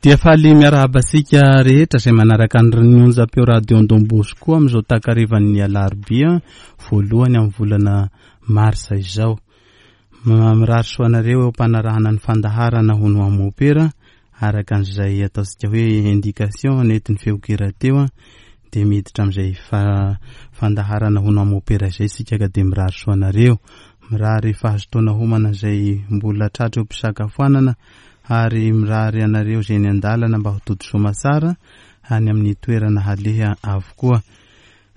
Dia faly miarahaba antsika rehetra izay manaraka ny onjam-peo Radio Don Bosco amin'izao takarivan'ny alarobia voalohany amin'ny volana marsa izao. Mirary soa anareo eo am-panarahana ny fandaharana hono ho mopera araka an'izay ataontsika hoe indication nentin'ny feon-kira teo dia miditra amin'izay fandaharana hono ho mopera izay isika ka dia mirary soa anareo. Mirary fahazotoana homana izay mbola tratra eo am-pisakafoanana ary mirary anareo izay eny an-dalana mba ho tody soamatsara any amin'ny toerana haleha avokoa.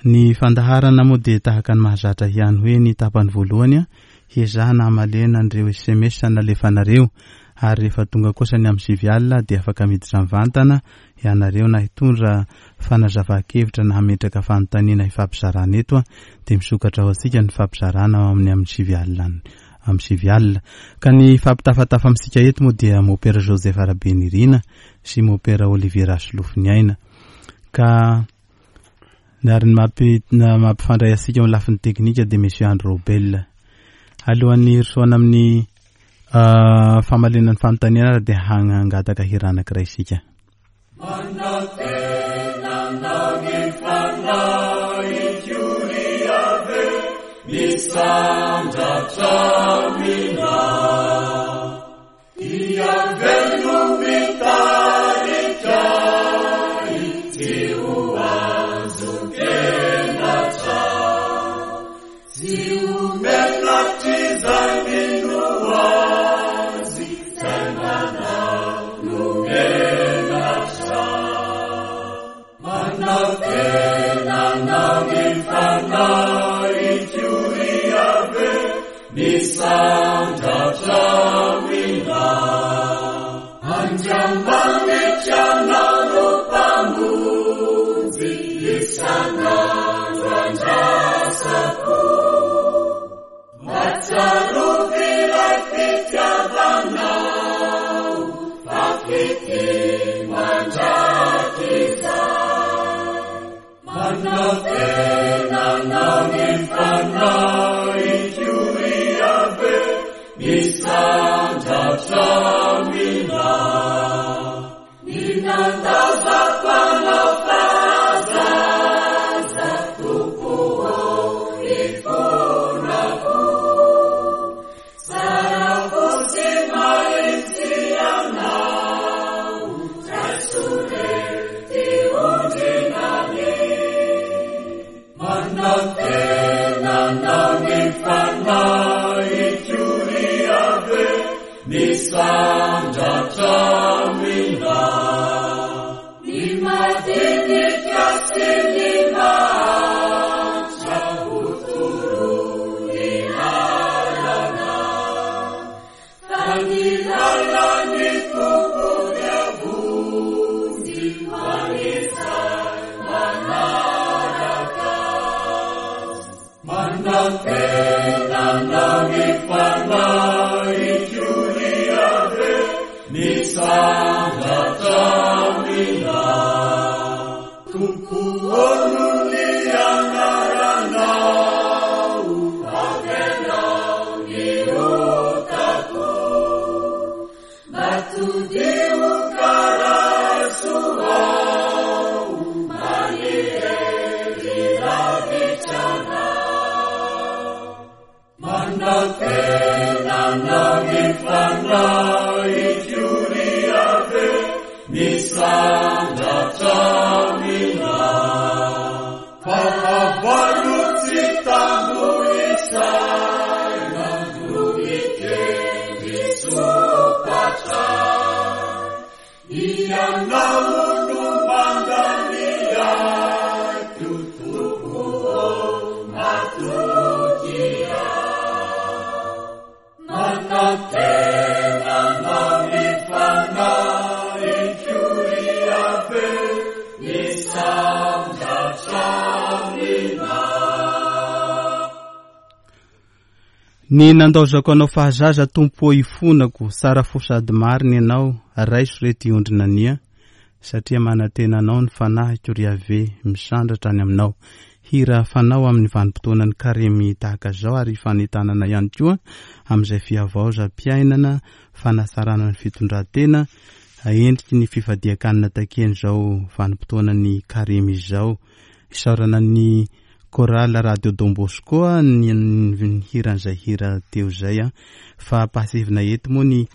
Ny fandaharana moa dia tahaka ny mahazatra ihany hoe ny tapany voalohany hiezahana hamalena an'ireo sms nalefanareo ary rehefa tonga kosa ny amin'ny 9 alina dia afaka miditra mivantana ianareo na hitondra fanazavan-kevitra na hametraka fanontaniana hifampizarana eto dia misokatra ho antsika ny fampizarana ao amin'ny amin'ny 9 alina amin'ny 9 alina. Ka ny fampitafatafa amintsika eto moa dia Mopera Joseph Rabenirina sy Mopera Olivier Rasolofoniaina. Ka ary ny mampifandray antsika amin'ny lafiny teknika dia Monsieur Andry Robel. Alohan'ny hirosoana amin'ny ah, famaliana ny fanontaniana ary dia hangataka hira anankiray isika. Manantena anao ny fanahiko ry Yaveh, misandratra aminao. I Yaveh no mitarika ahy, tsy ho azon-kenatra. Tsy ho menatr'izay mino Azy, izay manao no menatra. Manantena anao ny fanahiko ry Yaveh, misandratra aminao. Andriamanitra anao no Mpamonjy, isan'andro andrasako. Mba tsarovy ilay fitiavanao, fa fitia mandrakizay. Manantena anao ny fanahiko ry Yaveh, misandratra aminao. Ny nandaozako anao fahazaza, Tompo ô, ifonako. Tsara fo sy mahitsy Ianao, raiso re ty ondrinany. Manantena anao ny fanahiko ry Yaveh, misandratra aminao. Ny madinika sy ny mahantra ho toroy lalana. Fa ny lalan'ny Tompo dia vonjy ho an'izay manaraka Azy. Manantena anao ny fanahiko ry Yaveh, misandratra aminao. Tompo ô noho ny anaranao, avelao ny otako. Mba todiho ka raiso aho, manirery lavitra anao. Manantena anao ny fanahiko ry Yaveh, misandratra aminao. Fahavalo tsy tambo isaina no mikendry sompatra. Ianao no mandany aiko, Tompo ô, matokia. Manantena anao ny fanahiko ry Yaveh, misandratra aminao. Ny nandaozako anao fahazaza Tompo ô ifonako, tsara fo sady marina Ianao, raiso re ty ondry nania, satria manantena Anao ny fanahiko ry Yaveh, misandratra any Aminao. Hira fanao amin'ny vanim-potoanan'ny karemy tahaka izao ary fanentanana ihany koa amin'izay fihavaozam-piainana, fanatsarana ny fitondran-tena endriky ny fifadian-kanina takian'izao vanim-potoanan'ny karemy izao. Isaorana ny Chorale Radio Don Bosco ny nihira an'izay hira teo izay fa ampahatsiahivina eto moa ny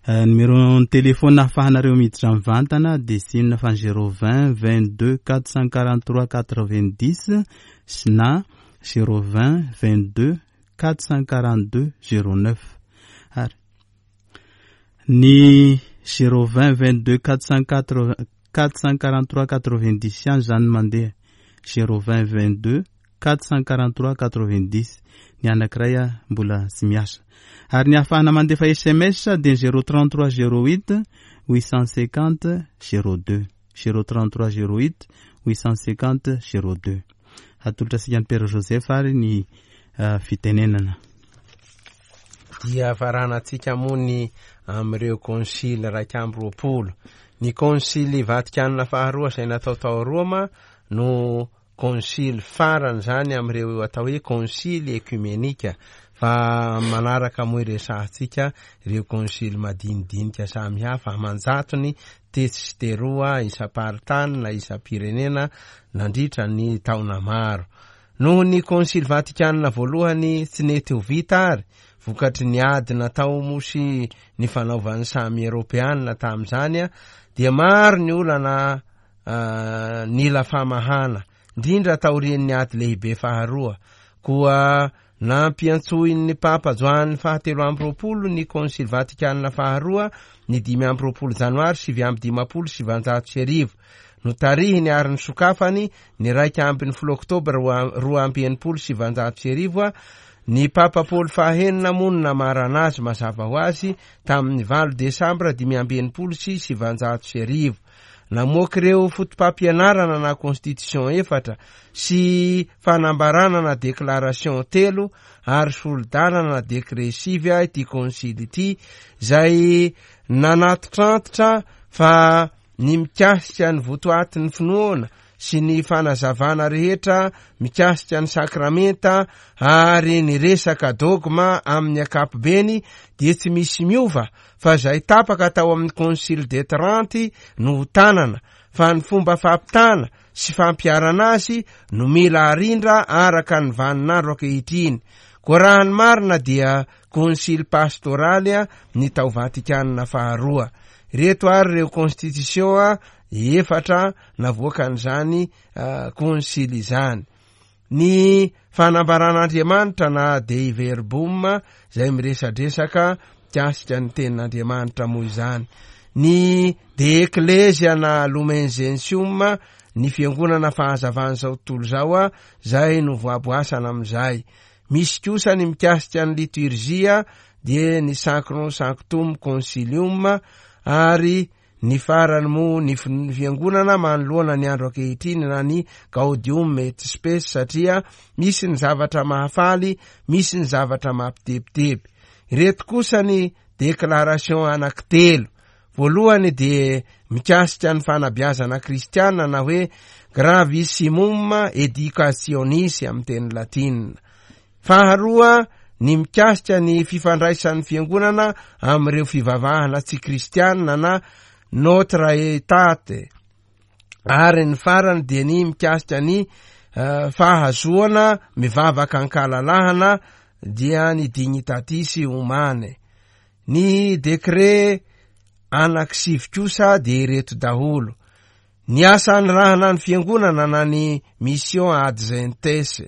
numéro ny téléphone ahafahanareo miditra mivantana dia tsy inona fa ny 020 22 443 90 sy na 020 22 442 09 ary ny 020 22 443 90 ihany izany mandeha 020 22 443 90 ny anankiray mbola tsy miasa ary ny ahafahana mandefa SMS dia 033 08 850 02 033 08 850 02 atolotra antsika ny Père Joseph ary ny fitenenana. Dia faranantsika moa ny amin'ireo konsily 21. Ny konsily Vatikanina faharoa izay natao tao Roma no konsily farany izany amin'ireo atao hoe konsily ekumenika, fa manaraka moa iresahantsika ireo konsily madinidinika samihafa aman-jatony tetsy sy teroa isam-paritany na isam-pirenena nandritra ny taona maro. Noho ny konsily Vatikanina voalohany tsy nety ho vita ary vokatry ny ady natao moa sy ny fanaovan'ny samy Eropeanina tamin'izany dia maro ny olana nila famahana, indrindra taorian'ny ady lehibe faharoa. Koa nampiantsoin'ny Papa Joany fahatelo amby roapolo ny Konsily Vatikanina faharoa ny 25 janoary 1959. Notarihiny ary nisokafany ny 11 oktobra 1962. Ny Papa Paoly fahenina moa no namarana azy mazava ho azy tamin'ny 8 desambra 1965. Namoaka ireo fotopampianarana na constitution efatra sy fanambarana na déclaration telo ary solidalana na décret sivy ity konsily ity, izay nanatitrantitra fa ny mikasika ny votoatin'ny finoana sy ny fanazavana rehetra mikasika ny sakramenta ary ny resaka dogma amin'ny ankapobeny dia tsy misy miova fa izay tapaka tao amin'ny Concile de Trente no ho tanana, fa ny fomba fampitana sy fampiharana azy no mila arindra araka ny vaninandro ankehitriny. Koa raha ny marina dia Concile pastoraly ny tao Vatikanina faharoa. Ireto ary ireo constitution efatra navoakan'izany Concile izany. Ny fanambaran'Andriamanitra na Dei Verbum izay miresadresaka mikasika ny tenin'Andriamanitra moa izany. Ny De Ecclesia na Lumen Gentium, ny fiangonana fahazavan'izao tontolo izao izay novoaboasana amin'izay. Misy kosa ny mikasika ny liturgia dia ny Sacrum Sanctum Concilium ary Ny farany moa ny fiangonana manoloana ny andro ankehitriny na ny Gaudium et Spes satria misy ny zavatra mahafaly, misy ny zavatra mampitebiteby. Ireto kosa ny déclaration anankitelo. Voalohany dia mikasika ny fanabeazana kristiana na hoe gravissimum educationis amin'ny teny latina. Faharoa, ny mikasika ny fifandraisan'ny fiangonana amin'ireo fivavahana tsy kristianina na Notre Aetate. Ary ny farany dia ny mikasika ny fahazoana mivavaka an-kalalahana dia ny Dignitatis Humanae. Ny décret anankisivy kosa dia ireto daholo. Ny asa anirahana ny fiangonana na ny mission ad gentes.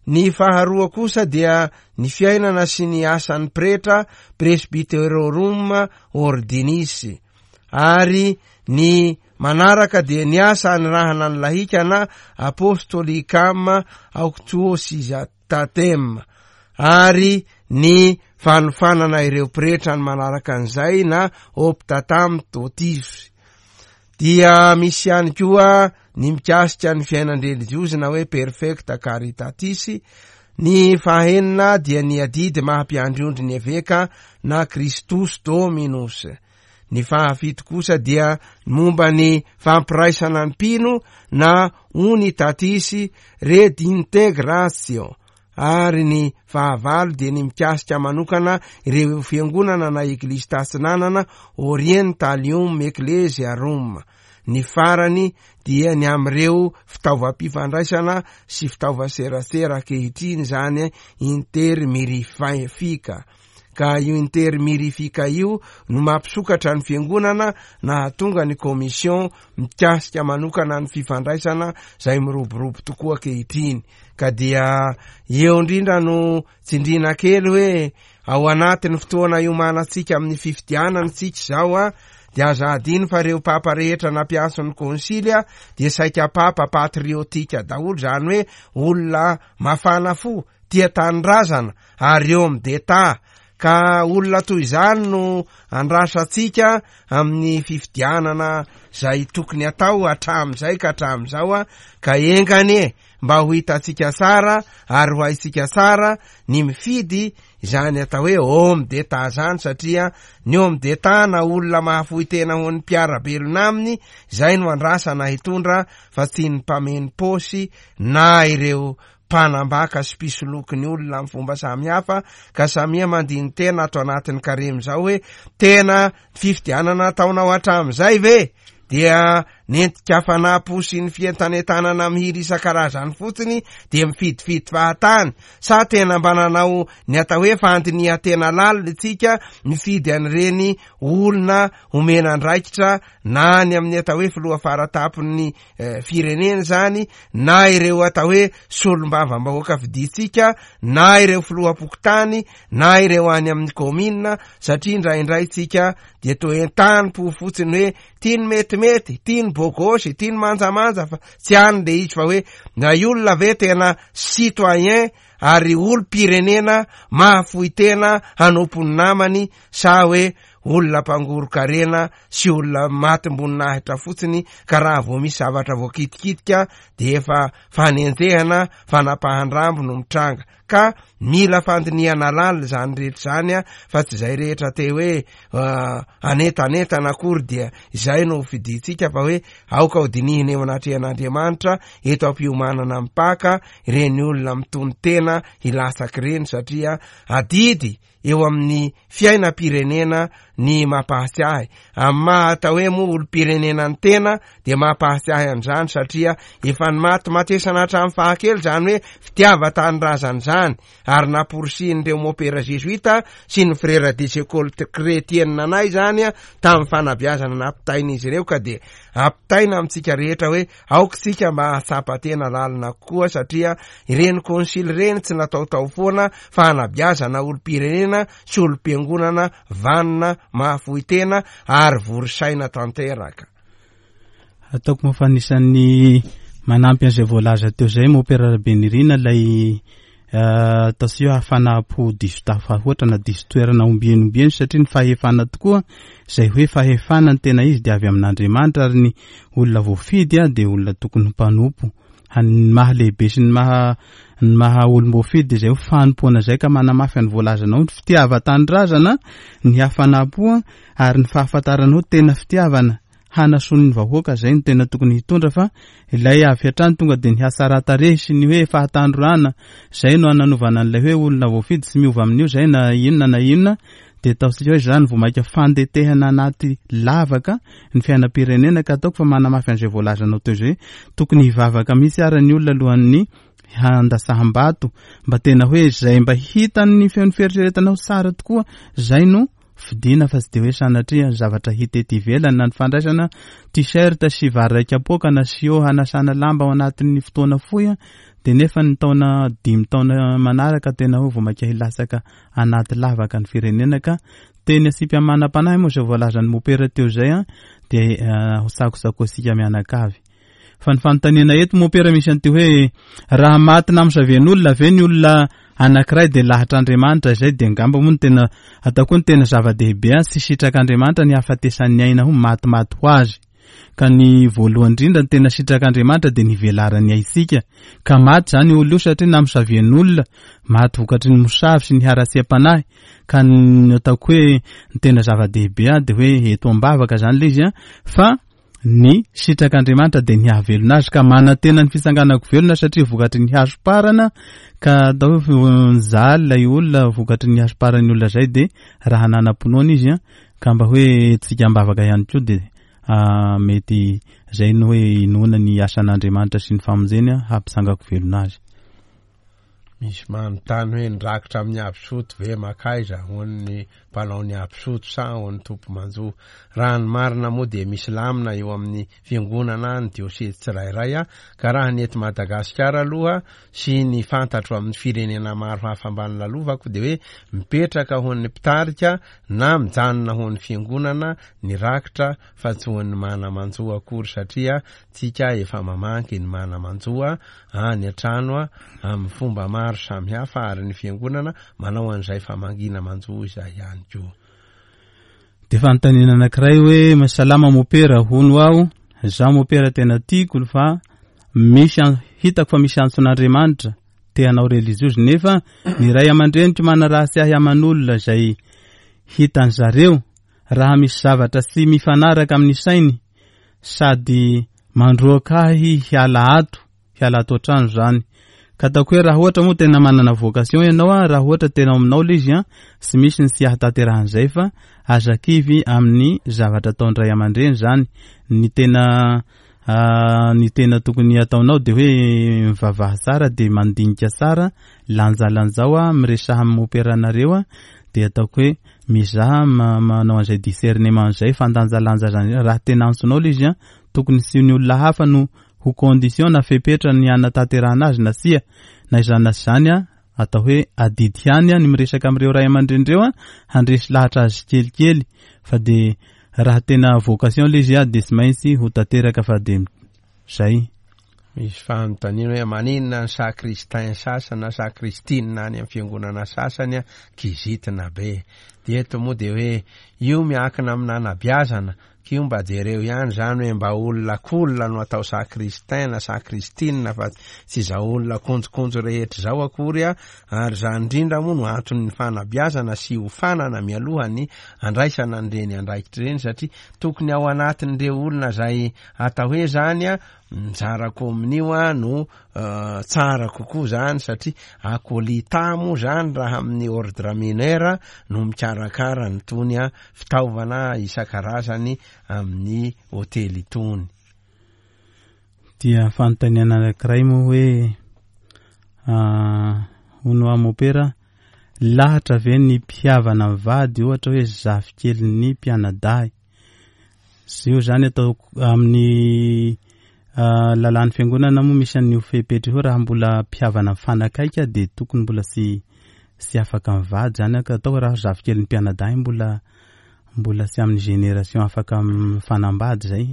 Ny faharoa kosa dia ny fiainana sy ny asan'ny pretra presbyterorum ordinis. Ary ny manaraka dia ny asa anirahana ny lahika na apostolicam auctuositatem. Ary ny fanofanana ireo pretra ny manaraka an'izay na optatam totis. Dia misy ihany koa ny mikasika ny fiainan-drelijiozy na hoe perfecta caritatis. Ny fahenina dia ny adidy maha mpiandry ondry ny eveka na Christus Dominus. Ny fahafito kosa dia ny momba ny fampiraisana ny mpino na Unitatis Redintegratio. ary ny fahavalo dia ny mikasika manokana ireo fiangonana na Eglizy Tatsinanana, Orientalium Ecclesiarum. Ny farany dia ny amin'ireo fitaovam-pifandraisana sy fitaovan-serasera ankehitriny izany intermirifique. Ka io intermirifique io no mampisokatra ny fiangonana nahatonga ny commission mikasika manokana ny fifandraisana izay miroborobo tokoa ankehitriny. Ka dia eo indrindra no tsindriana kely hoe ao anatin'ny fotoana iomanantsika amin'ny fifidianana tsika izao a, dia aza adino fa ireo papa rehetra nampiantso ny konsily a, dia saika papa patriotika daholo, izany hoe olona mafana fo, tia tanindrazana ary eo amin'ny d'Etat. Ka olona toy izany no andrasantsika amin'ny fifidianana izay tokony atao hatramin'izay ka hatramin'izao a, ka enga anie mba ho hitantsika tsara ary ho haintsika tsara ny mifidy izany atao hoe homme d'Etat izany, satria ny homme d'Etat na olona mahafoy tena ho an'ny mpiara-belona aminy, izay no andrasana hitondra fa tsy ny mpameno paosy na ireo mpanambaka sy mpisoloky ny olona amin'ny fomba samihafa, ka samia mandini-tena ato anatin'ny karemy izao hoe tena fifidianana ataonao hatramin'izay ve dia nentin-kafanam-po sy ny fientanentanana mihiry isan-karazany fotsiny dia mifidifidy fahatany, sa tena mba nanao ny atao hoe fandinihan-tena lalina isika mifidy an'ireny olona omena andraikitra na ny amin'ny atao hoe filoha faratampon'ny eh, firenena izany na ireo atao hoe solombavambahoaka fidintsika na ireo filoham-pokontany na ireo any amin'ny kaominina, satria indraindray tsika dia toa entanim-po fotsiny hoe tia ny metimety, tia ny bogosy, tia ny manjamanja, fa tsy any le izy fa hoe na olona ve tena citoyen ary olom-pirenena mahafoy tena hanompo ny namany sa hoe olona mpangoron-karena sy olona matim-boninahitra fotsiny ka raha vao misy zavatra voakitikitika dia efa fanenjehana, fanapahan-drambo no mitranga. Ka mila fandinihana lalina izany rehetra izany a, fa tsy izay rehetra te hoe anentanentana akory dia izay no hofidintsika fa hoe aoka ho dinihina eo anatrehan'Andriamanitra eto am-piomanana amin'ny Paka ireny olona mitono-tena hilatsaka ireny satria adidy eo amin'ny fiainam-pirenena ny mampahatsiahy. Amin'ny maha atao hoe moa olom-pirenena ny tena dia mampahatsiahy an'izany satria efa nimatimatesana hatramin'ny fahakely izany hoe fitiavan-tanindrazana izany ary namporisihin'ireo mopera zezoita sy ny frera des écoles chrétiennes anay izany tamin'ny fanabeazana nampitain'izy ireo ka dia ampitaina amintsika rehetra hoe Aoka isika mba hahatsapa tena lalina kokoa satria ireny konsily ireny tsy nataotao foana fa hanabeazana olom-pirenena sy olom-piangonana vanona, mahafoy tena ary vory saina tanteraka. Ataoko moa fa anisan'ny manampy an'izay voalaza teo izay Mopera Rabenirina ilay Ataontsika hoe hafanam-po diso tafahoatra na diso toerana ombieny ombieny satria ny fahefana tokoa izay hoe fahefana ny tena izy dia avy amin'Andriamanitra ary ny olona voafidy dia olona tokony ho mpanompo. Ny maha lehibe sy ny maha ny maha olom-boafidy dia izay hoe fanompoana izay ka manamafy ny voalazanao ny fitiavan-tanindrazana, ny hafanam-po ary ny fahafantaranao tena fitiavana. hanasoa ny vahoaka zay no tena tokony hitondra fa ilay avy hatrany tonga dia ny hatsaran-tarehy sy ny hoe fahatandroana zay no ananovana an'ilay hoe olona voafidy tsy miova amin'io zay na inona na inona dia ataontsika hoe zany vao maika fandetehana anaty lavaka ny fiainam-pirenena ka ataoko fa manamafy an'izay voalazanao teo izay tokony hivavaka mihitsy ara ny olona alohan'ny handasaham-bato mba tena hoe zay mba hitan'ny feon'ny fieritreretanao tsara tokoa zay no Fidiana fa tsy dia hoe sanatria ny zavatra hita ety ivelany na ny fandraisana t-shirt sy vary iray kapoaka na siô hanasana lamba ao anatin'ny fotoana fohy dia nefa ny taona dimy taona manaraka tena hoe vao mainka hilatsaka anaty lavaka ny firenena ka teny asiam-piamanam-panahy moa izay voalazan'ny mopera teo izay dia ho tsakotsako antsika mianakavy. Fa ny fanontaniana eto mompera misy an'ity hoe raha maty namosavian'olona ve ny olona anankiray dia lahatr'Andriamanitra izay dia angamba moa ny tena ataoko hoe ny tena zava-dehibe an tsy sitrak'Andriamanitra ny hahafatesan'ny aina ho matimaty ho azy ka ny voalohany indrindra ny tena sitrak'Andriamanitra dia ny hivelaran'ny aintsika ka maty izany olona io satria namosavian'olona maty vokatry ny mosavy sy ny haratsiam-panahy ka ny ataoko hoe ny tena zava-dehibe an dia hoe eto am-bavaka izany ilay izy an fa. Ny sitrak'Andriamanitra dia ny hahavelona azy ka manantena ny fitsanganako velona satria vokatry ny hasoparana ka atao hoe nijaly ilay olona vokatry ny hasoparan'ny olona izay dia raha nanam-pinoana izy ka mba hoe tsika am-bavaka ihany koa dia mety izay no hoe inoana ny asan'Andriamanitra sy ny famonjeny hampitsangako velona azy. Misy manontany hoe ny rakitra amin'ny absoto ve makaiza hoan'ny mpanao ny absoto sa hoan'ny tompo-manjo? Raha ny marina moa dia misy lamina eo amin'ny fiangonana ny diosezy tsirairay ka raha ny eto Madagasikara aloha sy ny fantatro amin'ny firenena maro hafa ambany lalovako dia hoe mipetraka hoan'ny mpitarika na mijanona hoan'ny fiangonana ny rakitra fa tsy hoan'ny mana-manjo akory satria tsika efa mamangy ny mana-manjo any an-trano amin'ny fomba maro samihafa ary ny fiangonana manao an'izay famangiana manjo izay ihany koa. Dia fanontaniana anankiray hoe salama mopera hono aho, za mopera tena tiako fa misy hitako fa misy antson'Andriamanitra te hanao relijiozy nefa ny ray aman-dreniko manaratsy ahy aman'olona izay hitan zareo raha misy zavatra tsy mifanaraka amin'ny sainy sady mandroaka ahy hiala ato, hiala ato an-trano izany. Ka ataoko hoe raha ohatra moa tena manana vocation ianao an, raha ohatra tena ao aminao ilay izy an, tsy misy ny tsy ahatanterahan'izay fa aza kivy amin'ny zavatra ataon'ny ray aman-dreny izany. Ny tena ny tena tokony hataonao dia hoe mivavaha tsara dia mandinika tsara, lanjalanjao an, miresaha amin'ny moperanareo an, dia ataoko hoe Mizaha manao an'izay discernement izay, fandanjalanja zany, raha tena antsonao ilay izy an, tokony tsy ny olona hafa no ho condition na fepetra ny hanatanterahana azy na tsia, na izany na tsy izany an, atao hoe adidy ihany an ny miresaka amin'ireo ray aman-dreny ireo an, handresy lahatra azy tsikelikely, fa dia raha tena vocation ilay izy an, dia tsy maintsy ho tanteraka fa dia Zay. Misy fanontaniana hoe maninona ny sacristain sasany na sacristine any amin'ny fiangonana sasany kizitina be. Dia eto moa dia hoe io miankina amin'ny nanabiazana, k'io mba jereo ihany izany hoe mba olona cool no atao sacristain na sacristine fa tsy izao olona konjokonjo rehetra izao akory ary izany indrindra moa no anton'ny fanabiazana sy hiofanana mialoha ny andraisana an'ireny andraikitra ireny satria tokony ao anatin'ireo olona izay Atao hoe zany a, mizara kominio a no tsara kokoa zany satria akolita moa zany raha amin'ny ordre mineur no mikarakara an'itony a fitaovana isan-karazany amin'ny hotely itony. Dia fanontaniana anankiray moa hoe hono hoa mopera, lahatra ve ny mpihavana mivady ohatra hoe zafikelin'ny mpianadahy? Io zany ataoko amin'ny lalàn'ny fiangonana moa misy an'io fepetra io raha mbola mpihavana mifanakaiky dia tokony mbola tsy tsy afaka mivady zany ka atao raha zafikelin'ny mpianadahy mbola mbola tsy amin'ny génération afaka mifanambady zay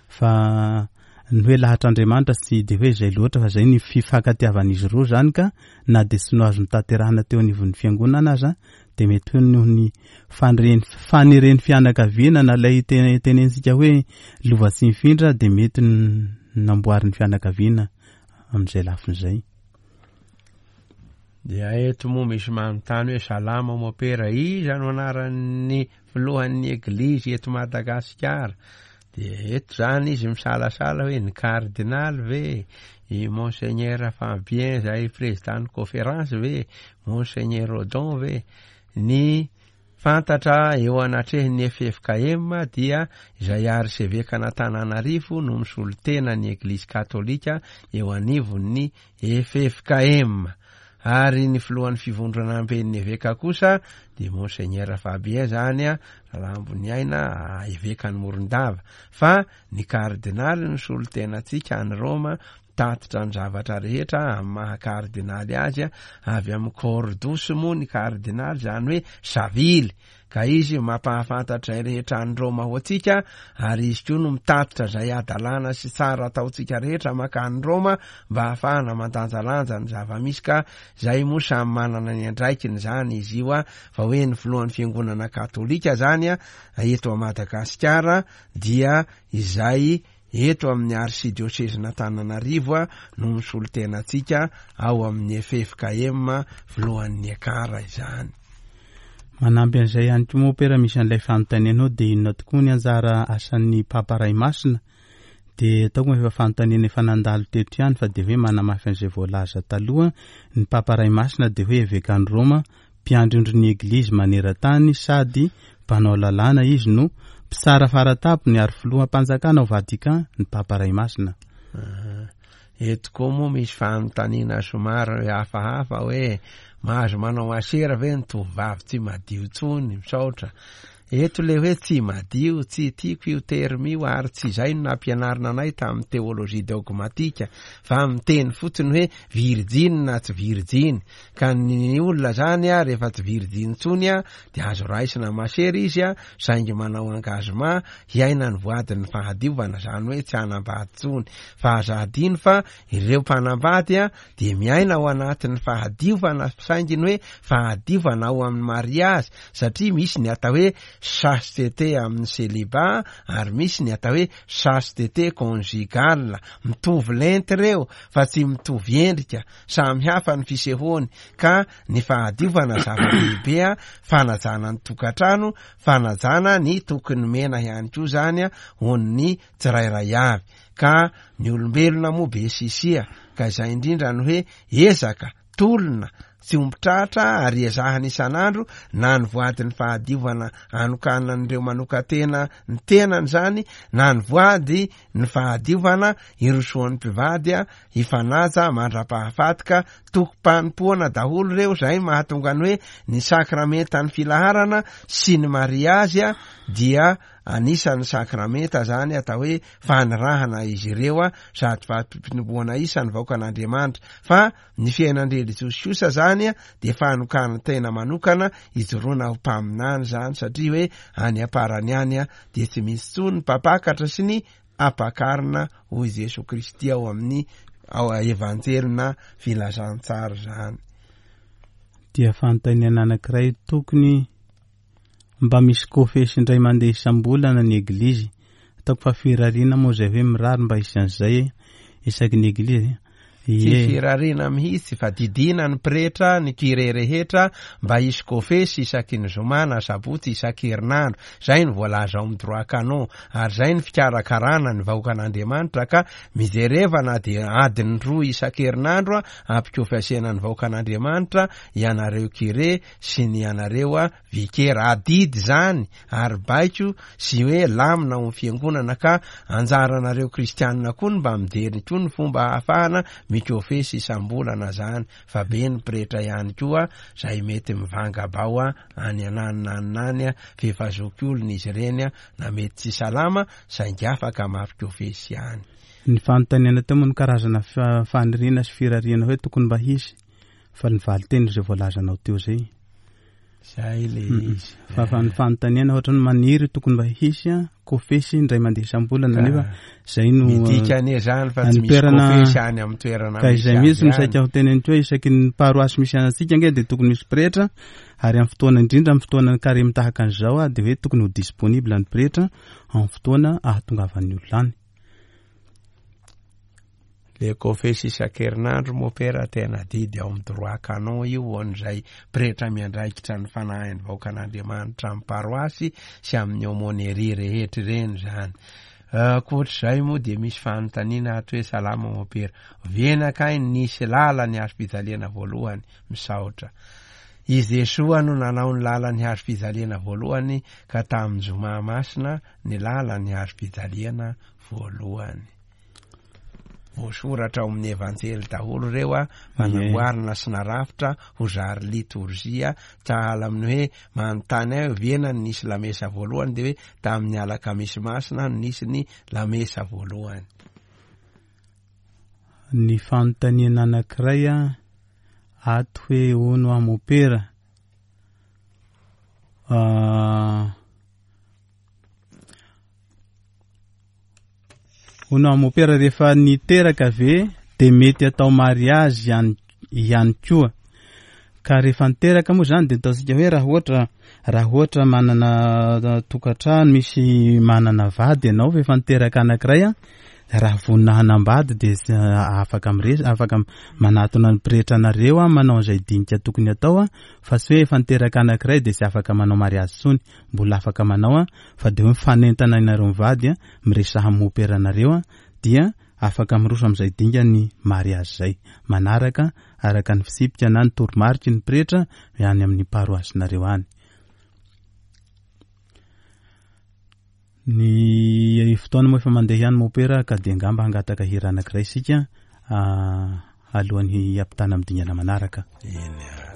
fa ny hoe lahatr'Andriamanitra tsy dia hoe izay loatra fa zay ny fifankatiavan'izy roa zany ka na dia tsy no azo notanterahina teo anivon'ny fiangonana aza dia mety hoe noho ny fanireny faneren'ny fianakaviana na ilay tenenintsika hoe lova tsy mifindra dia mety namboarin'ny fianakaviana amin'izay lafiny izay. Dia eto moa misy manontany hoe salama mopera, iza no anaran'ny filohan'ny eglizy eto Madagasikara? Dia eto zany izy misalasala hoe ny kardinaly ve, i Monseigneur Fabien izay président ny conférence ve, Monseigneur Odon ve? Ny fantatra eo anatrehan'ny ffkm dia izay arsevekan'Antananarivo no misolo tena ny Eglizy Katolika eo anivon'ny ffkm. Ary ny filohan'ny fivondronamben'ny eveka kosa dia Monseigneur Fabien zany Ralamboniaina evekan'i Morondava. Fa ny kardinaly no solontenantsika any Roma mitatitra ny zavatra rehetra amin'ny maha kardinaly azy, avy amin'ny cordus moa ny kardinaly izany hoe savily. Ka izy mampahafantatra izay rehetra any Roma ho antsika, ary izy koa no mitatitra izay hadalana sy tsara ataontsika rehetra mankany Roma mba hahafahana mandanjalanja ny zava-misy ka izay moa samy manana ny andraikiny izany izy io fa hoe ny filohan'ny fiangonana katolika izany eto Madagasikara dia izay eto amin'ny arsidiosezin'Antananarivo no misolo tena antsika ao amin'ny ffkm filohan'ny ekar izany. Manampy an'izay ihany koa mompera misy an'ilay fanontanianao dia inona tokoa ny anjara asan'ny Papa Ray Masina? Dia ataoko efa fanontaniana efa nandalo teto ihany fa dia hoe manamafy an'izay voalaza taloha, ny Papa Ray Masina dia hoe Evekan'i Roma, mpiandry ondrin'ny Eglizy maneran-tany sady mpanao lalàna izy no mpitsara faratampony ary filoham-panjakana ao Vatican ny Papa Ray Masina. Eto koa moa misy fanontaniana somary hafahafa hoe mahazo manao masera ve ny tovovavy tsy madio intsony? Misaotra. Eto le hoe tsy madio, tsy tiako io terme io ary tsy izay no nampianarina anay tamin'ny teologie dogmatika fa miteny fotsiny hoe virjiny na tsy virjiny. Ka ny olona zany a rehefa tsy virjiny intsony a dia azo raisina masera izy a saingy manao engagement hiaina ny voadin'ny fahadiovana, zany hoe tsy hanambady intsony. Fa aza adino fa ireo mpanambady a dia miaina ao anatin'ny fahadiovana saingy ny hoe fahadiovana ao amin'ny mariazy satria misy ny atao hoe chasteté amin'ny celibat ary misy ny atao hoe chasteté conjugale. Mitovy lenta ireo fa tsy mitovy endrika, samy hafa ny fisehoany ka ny fahadiovana zava-dehibe a, fanajana ny tokantrano, fanajana ny toky nomena ihany koa zany ho an'ny tsirairay avy ka ny olombelona moa be sisia ka izay indrindra ny hoe ezaka, tolona, tsy omby tratra ary ezahana isan'andro na ny voadin'ny fahadiovana anokanan'ireo manokan-tena ny tenany izany na ny voady ny fahadiovana irosoan'ny mpivady hifanaja mandra-pahafaty ka tokim-panompoana daholo ireo izay mahatonga ny hoe ny sakramentan'ny filaharana sy ny mariazy dia anisan'ny sakramenta zany atao hoe fanirahana izy ireo sady fampinoboana isan'ny vahoakan'Andriamanitra fa ny fiainan-drelijosy kosa zany dia fanokanan-tena manokana ijoroana ho mpaminany zany satria hoe any am-parany any dia tsy misy intsony ny mpampakatra sy ny ampakarina hoy Jesoa Kristy ao amin'ny ao Evanjely na Filazantsara zany. Dia fanontaniana anankiray tokony mba misy kofesy indray mandeha isam-bolana ny eglizy. Ataoko fa firariana moa izay hoe mirary mba hisy an'izay isaky ny eglizy. Tsy firariana mihitsy fa didiana ny pretra, ny curé rehetra mba hisy kofesy isaky ny zoma na sabotsy isan-kerinandro. Izay no voalaza ao amin'ny droit canon ary izay ny fikarakarana ny vahoakan'Andriamanitra ka mijereva na dia adiny roa isan-kerinandro ampikofesena ny vahoakan'Andriamanitra ianareo curé sy ny ianareo vikera. Adidy izany ary baiko sy hoe lamina ao amin'ny fiangonana ka anjaranareo kristianina koa ny mba mijery koa ny fomba ahafahana mikofesy isam-bolana zany fa be ny pretra ihany koa zay mety mivanga bao any ananona any nany f'efa zokiolona izy ireny na mety tsy salama saingy afaka mampikofesy ihany. Ny fanontaniana teo moa no karazana faniriana sy firariana hoe tokony mba hisy fa ny valinteny izay voalazanao teo izay. Zay le izy. Fa fa ny fanontaniana ohatra ny maniry tokony mba hisy a kofesy indray mandeha isam-bolana nefa zay no midika anie zany fa tsy misy kofesy any amin'ny toerana ka izay mihitsy no saika ho teneniko hoe isaky ny paroasy misy antsika ange dia tokony misy pretra ary amin'ny fotoana indrindra amin'ny fotoana ny karemy tahaka an'izao a dia hoe tokony ho disponible ny pretra amin'ny fotoana ahatongavan'ny olona any. Le kofesy isan-kerinandro mopera tena adidy ao amin'ny droit canon io ho an'izay pretra miandraikitra ny fanahin'ny vahoakan'Andriamanitra amin'ny paroasy sy amin'ny aumônerie rehetra ireny izany. Ankoatr'izay moa dia misy fanontaniana ato hoe salama mopera, oviana kay nisy lalan'ny hazofijaliana voalohany? Misaotra. I Jesoa no nanao ny lalan'ny hazofijaliana voalohany ka tamin'ny zoma masina ny lalan'ny hazofijaliana voalohany. Voasoratra ao amin'ny Evanjely daholo ireo a, fa namboarina sy narafitra ho zary litorzia, sahala amin'ny hoe manontany ahy oviana no nisy lamesa voalohany dia hoe tamin'ny alakamisy masina no nisy ny lamesa voalohany. Ny fanontaniana anankiray a, ato hoe hono aho mopera, Hono aho mopera rehefa niteraka ve de mety atao mariazy ihany ihany koa? Ka rehefa niteraka moa zany de ataontsika hoe raha ohatra raha ohatra manana tokantrano misy manana vady ianao fa efa niteraka anankiray an, Raha vonona hanambady dia afaka mires afaka manatona ny pretra anareo an, manao an'izay dinika tokony atao an, fa tsy hoe efa niteraka anankiray dia tsy afaka manao mariazy intsony, mbola afaka manao an, fa dia hoe mifanentana ianareo mivady an, miresaha amin'ny mopera anareo an, dia afaka miroso amin'izay dingan'ny mariazy izay, manaraka araka ny fitsipika na ny toromariky ny pretra any amin'ny paroasinareo any. Ny fotoana moa efa mandeha ihany mopera ka dia angamba hangataka hira anankiray isika alohan'ny hiampitana amin'ny dingana manaraka. Eny ary.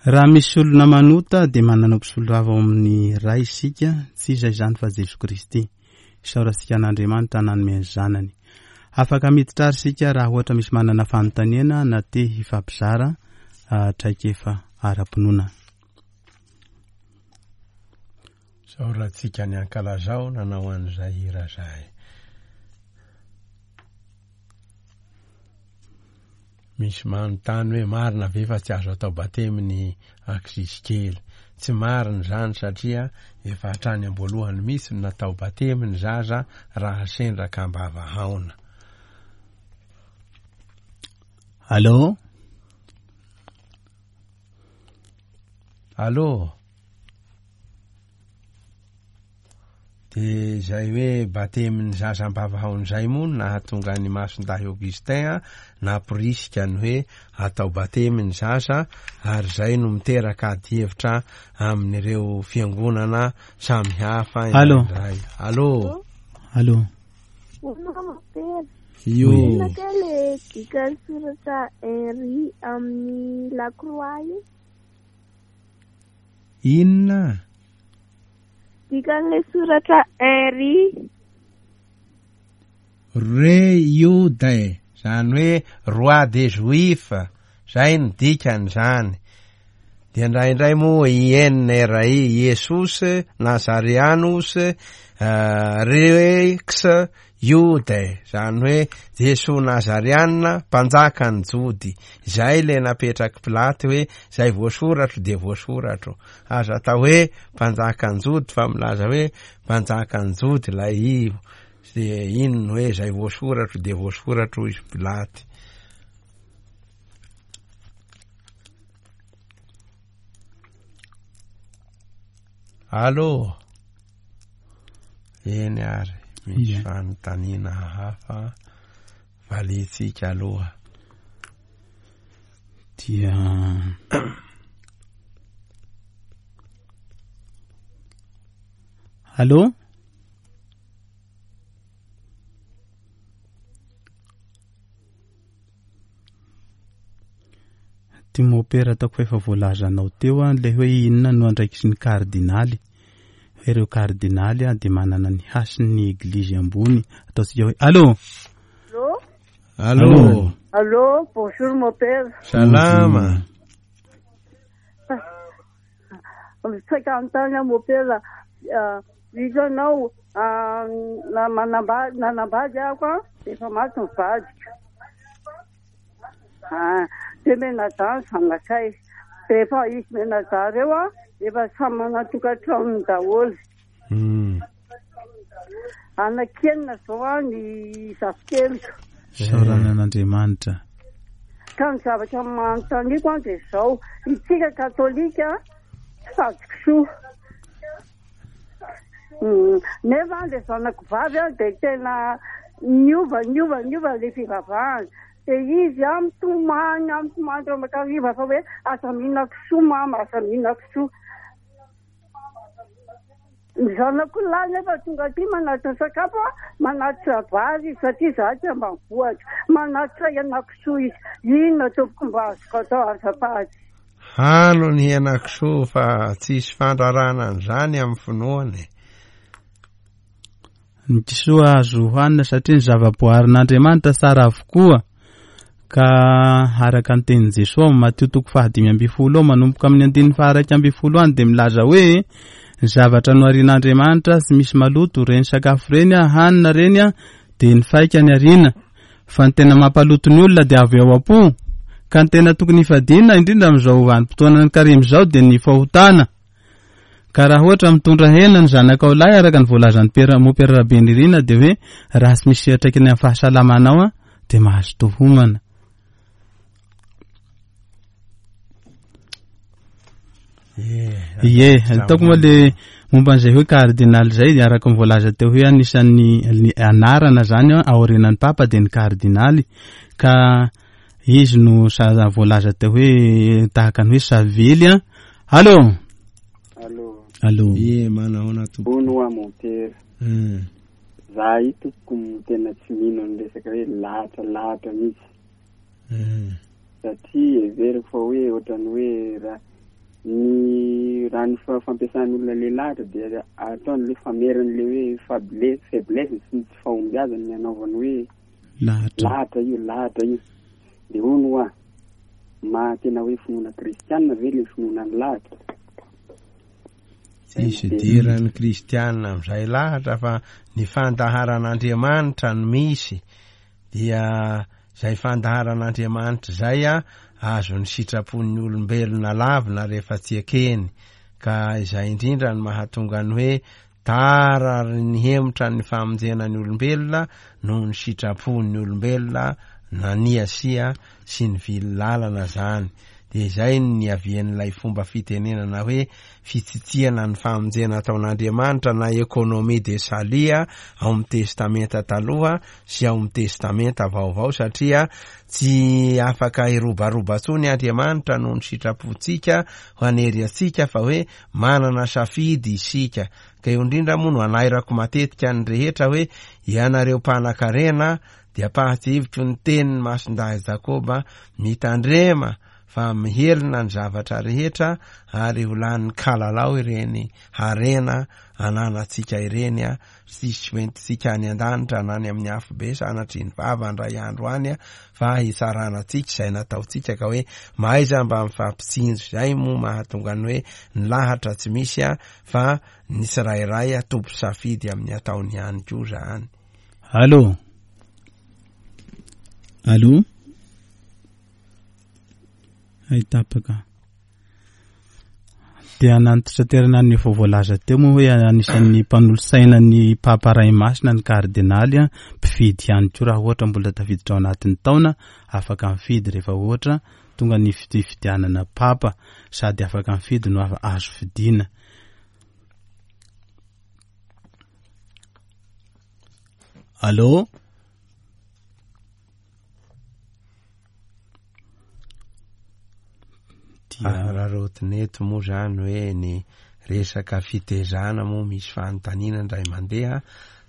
Raha misy olona manota dia manana mpisolovava ao amin'ny Ray isika, tsy iza izany fa Jesoa Kristy. Isaorantsika an'Andriamanitra nanome ny Zanany. Afaka miditra ary isika raha ohatra misy manana fanontaniana na te hifampizara traikefa ara-pinoana. Isaorantsika ny ankalazao nanao an'izay hira izay. Misy manontany hoe marina ve fa tsy azo atao batemy ny ankizizy kely? Tsy marina izany satria efa hatrany am-boalohany mihitsy no natao batemy ny zaza raha sendra ka am-bava haona. Allô? Allô? Dia izay hoe batemin'ny zaza am-bavahaona izay moa no nahatonga an'i Masindahy Augustin namporisika ny hoe atao batemy ny zaza ary izay no miteraka adihevitra amin'ireo fiangonana samihafa indraindray. Allô. Allô. Io. Inona kay le dikan'ny soratra Henri amin'ny la croix io? Inona? Dikan'ilay soratra Henri. Re Jude, izany hoe roi des juifs, izay no dikan'izany. Dia indraindray moa INRI, Iesus Nazareanus Rex Jude, izany hoe Jesoa Nazareana, mpanjakan'ny Jody. Izay ilay napetrak'i Pilaty hoe izay voasoratro dia voasoratro. Aza atao hoe mpanjakan'ny Jody fa milaza hoe mpanjakan'ny Jody ilay ivo. Dia iny no hoe izay voasoratro dia voasoratro hoy izy Pilaty. Allô? Eny ary, misy Ie. fanontaniana hafa valiantsika aloha. Dia Allô? Ty mopera ataoko fa efa voalazanao teo an, ilay hoe inona no andraikitry ny kardinaly. Hoe ireo kardinaly an dia manana ny hasin'ny eglizy ambony. Ataontsika hoe Allô? Allô? Allô? Allô, bonjour mon père. Salama. Saika hanontany aho mon père, hitanao na manambady nanambady aho an, efa maty ny vadiko. Ah, dia mianadahy ny zanakay. Dia efa izy mianadahy ireo an, efa samy manan-tokantranony daholo. Anaky enina izao an ny zafikeliko. Isaorana an'Andriamanitra. Ka ny zavatra manontaniako an dia izao, isika katolika tsy sady kisoa. Nefa an ilay zanako vavy an dia tena niova niova niova ilay fivavahana. Dia izy an mitomany an mitomany mandrakariva fa hoe aza mihinana kisoa mama, aza mihinana kisoa. Ny zanako lahy nefa tonga aty manatitra sakafo a, manatitra vary izy satria izaho aty ambanivohitra. Manatitra henakisoa izy. Inona tompoko mba azoko atao azafady? Hano ny henakisoa fa tsisy fandrarana an'izany amin'ny finoana e. Ny kisoa azo hohanina satria ny zava-boaharin'Andriamanitra tsara avokoa. Ka araka ny tenin'i Jesoa ao Matio toko fahadimy ambin'ny folo ao manomboka amin'ny andininy faha-iraika ambin'ny folo any dia milaza hoe Ny zavatra noharian'Andriamanitra tsy misy maloto, ireny sakafo ireny an, hanina ireny an, dia ny faikany ariana. Fa ny tena mampaloto ny olona dia avy ao am-po. Ka ny tena tokony hifadiana, indrindra amin'izao vanim-potoanan'ny karemy izao, dia ny fahotana. Ka raha ohatra mitondra hena ny zanakao lahy araka ny voalazan'i Pera, Mopera Rabenirina dia hoe raha tsy misy fiantraikany amin'ny fahasalamanao an, dia mahazo tohomana. Ie, ataoko moa le momba an'izay hoe cardinal izay araka ny voalaza teo hoe anisan'ny ny anarana zany aorianan'ny papa dia ny cardinaly ka izy no sa voalaza teo hoe tahaka ny hoe savely an. Allô. Allô. Allô. Ie, manahoana tompoko. Hono hoa mon père. Za io tompoko tena tsy mino ny resaka hoe lahatra lahatra mihitsy. Satria heveriko fa hoe ohatran'ny hoe raha ny raha ny fampiasan'ny olona le lahatra dia ataony le fameriny le hoe faiblesse faiblesse sy ny tsy fahombiazany ny anaovany hoe lahatra lahatra io lahatra io. Dia hono hoa, maha tena hoe finoana kristianina ve le finoana ny lahatra? Tsisy idiran'ny kristianina amin'izay lahatra fa ny fandaharan'Andriamanitra no misy. Dia izay fandaharan'Andriamanitra izay azon'ny sitrapon'ny olombelona lavina rehefa tsy ekeny. Ka izay indrindra no mahatonga ny hoe tara ary nihemotra ny famonjena ny olombelona noho ny sitrapon'ny olombelona naniasia sy nivily lalana izany. Dia izay no niavian'ilay fomba fitenenana hoe fitsitsiana ny famonjena ataon'Andriamanitra na économie de salut ao amin'ny Testamenta Taloha sy ao amin'ny Testamenta Vaovao satria tsy afaka hirobaroba intsony Andriamanitra noho ny sitrapontsika hanery antsika fa hoe manana safidy isika. Ka eo indrindra moa no anairako matetika ny rehetra hoe ianareo mpanakarena Dia ampahatsiahiviko ny tenin'i Masindahy Jakoba, Mitandrema fa mihelina ny zavatra rehetra ary ho lanin'ny kalalao ireny harena ananantsika ireny, tsy hisy hoentintsika any an-danitra na any amin'ny afobe sanatria ny vava indray andro any fa hitsarana antsika izay nataontsika ka hoe mahaiza mba mifampitsinjo. Izay moa mahatonga ny hoe ny lahatra tsy misy fa ny tsirairay tompo-safidy amin'ny ataony ihany koa izany. Allô Allô Hay tapaka. Dia nantitraterana ny efa voalaza teo moa hoe anisan'ny mpanolotsaina ny Papa Ray Masina ny kardinaly, mpifidy ihany koa raha ohatra mbola tafiditra ao anatin'ny taona, afaka mifidy rehefa ohatra tonga ny fifidianana Papa, sady afaka mifidy no azo fidiana. Allô? Araraotina eto moa zany hoe ny resaka fitezana moa misy fanontaniana indray mandeha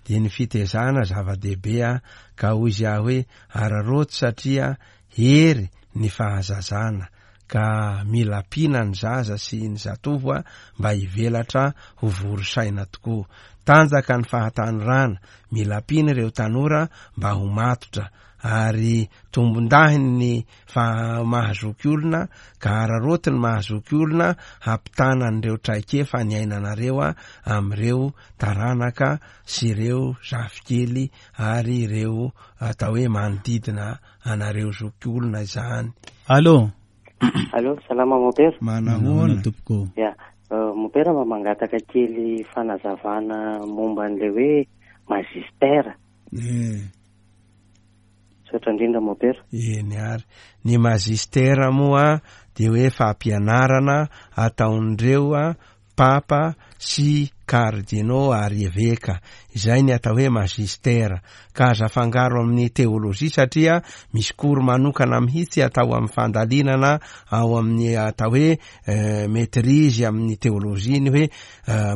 dia ny fitezana zava-dehibe ka hoy izy aho hoe araraoty satria hery ny fahazazana ka mila ampiana ny zaza sy ny zatovo mba hivelatra ho vory saina tokoa. Tanjaka ny fahatanorana, mila ampiana ireo tanora mba ho matotra ary tombondahiny ny faha maha-zoky olona ka araraoty ny maha-zoky olona hampitana an'ireo traikefa niainanareo amin'ireo taranaka sy ireo zafikely ary ireo atao hoe manodidina anareo zokiolona izany. Allô. Allô, salama mon père. Manahoana tompoko. Ya, mon père mba mangataka kely fanazavana momba an'ilay hoe magistère. Eh. Misaotra indrindra mon père. Eny ary. Ny magistère moa dia hoe fampianarana ataon'ireo Papa sy Kardinô ary Eveka, izay ny atao hoe Magistera, ka aza afangaro amin'ny Teolojia satria misy cours manokana mihitsy atao amin'ny fandalinana ao amin'ny atao hoe maitrise amin'ny Teolojia ny hoe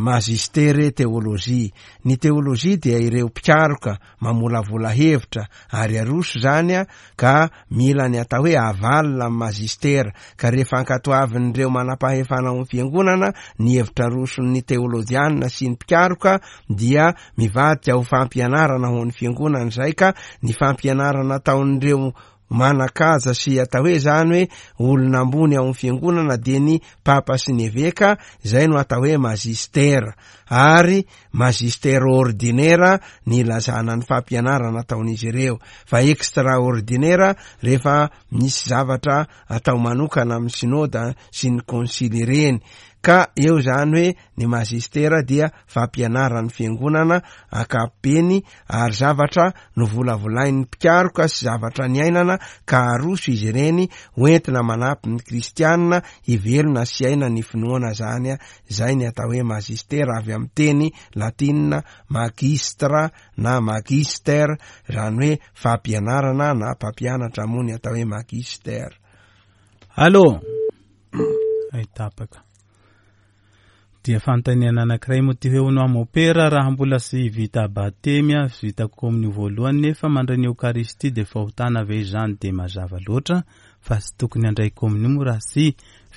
Magistere Teolojia. Ny Teolojia dia ireo mpikaroka mamolavola hevitra ary aroso izany ka mila ny atao hoe aval amin'ny magistera ka rehefa ankatoavin'ireo manampahefana ao amin'ny fiangonana ny hevitra aroson'ny teolojianina sy ny mpikaroka dia mivadika ho fampianarana ho an'ny fiangonana izay ka ny fampianarana ataon'ireo. manan-kaja sy atao hoe zany hoe olona ambony ao amin'ny fiangonana dia ny papa sy ny eveka, izay no atao hoe magistera. Ary magistère ordinaire ny ilazana ny fampianarana ataon'izy ireo, fa extraordinaire rehefa misy zavatra atao manokana amin'ny synoda sy ny konsily ireny. Ka eo izany hoe ny magistera dia fampianaran'ny fiangonana ankapobeny ary zavatra novolavolain'ny mpikaroka sy zavatra niainana ka aroso izy ireny hoentina manampy ny kristianina hivelona sy hiaina ny finoana izany. Izay ny atao hoe magistera avy amin'ny teny latinina magistra na magister, izany hoe fampianarana na mpampianatra moa ny atao hoe magister. Allô? Ay tapaka. Dia fanontaniana anankiray moa ty hoe hono aho mopera raha mbola tsy vita batemy aho, vita komonio voalohany nefa mandray ny eokaristia dia fahotana ve izany? Dia mazava loatra fa tsy tokony handray komonio moa raha tsy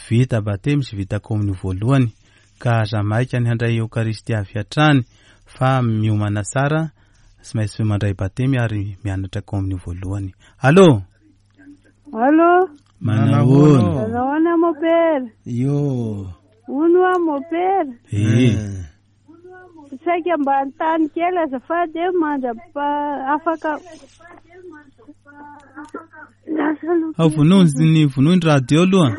vita batemy sy vita komonio voalohany ka aza maika ny handray eokaristia avy hatrany fa miomana tsara tsy maintsy mandray batemy ary mianatra komonio voalohany. Allô? Allô? Manahoana? Manahoana mopera? Io. Hono hoa mopera? Eh. Saika mba hanontany kely azafady eh, mandra-pa afaka Lasa aloha. Ao vonoy ny vonoy ny radio aloha.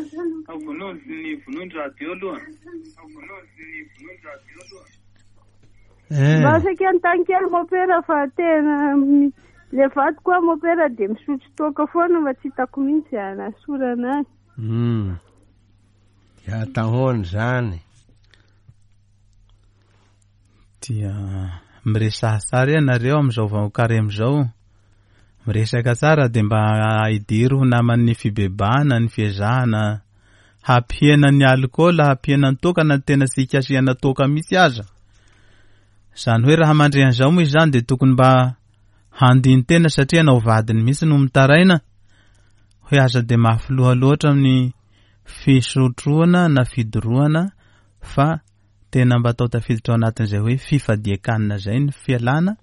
Eh. Mba saika hanontany kely mopera fa tena mi- le vadiko hoa mopera dia misotro toaka foana fa tsy hitako mihitsy hanasorana azy. Dia atahoana izany. Dia miresaha tsara ianareo amin'izao vao karemy izao. Miresaka tsara dia mba idiro ho naman'ny fibebahana ny fiezahana hampihena ny alikaola, hampihena ny toaka na tena tsy hikasihana toaka mihitsy aza. Izany hoe raha mandre an'izao moa izany dia tokony mba handini-tena satria ianao vadiny mihitsy no mitaraina hoe aza dia mafy loha loatra amin'ny fisotroana na fidorohana fa tena mba atao tafiditra ao anatin'izay hoe fifadian-kanina izay ny fialana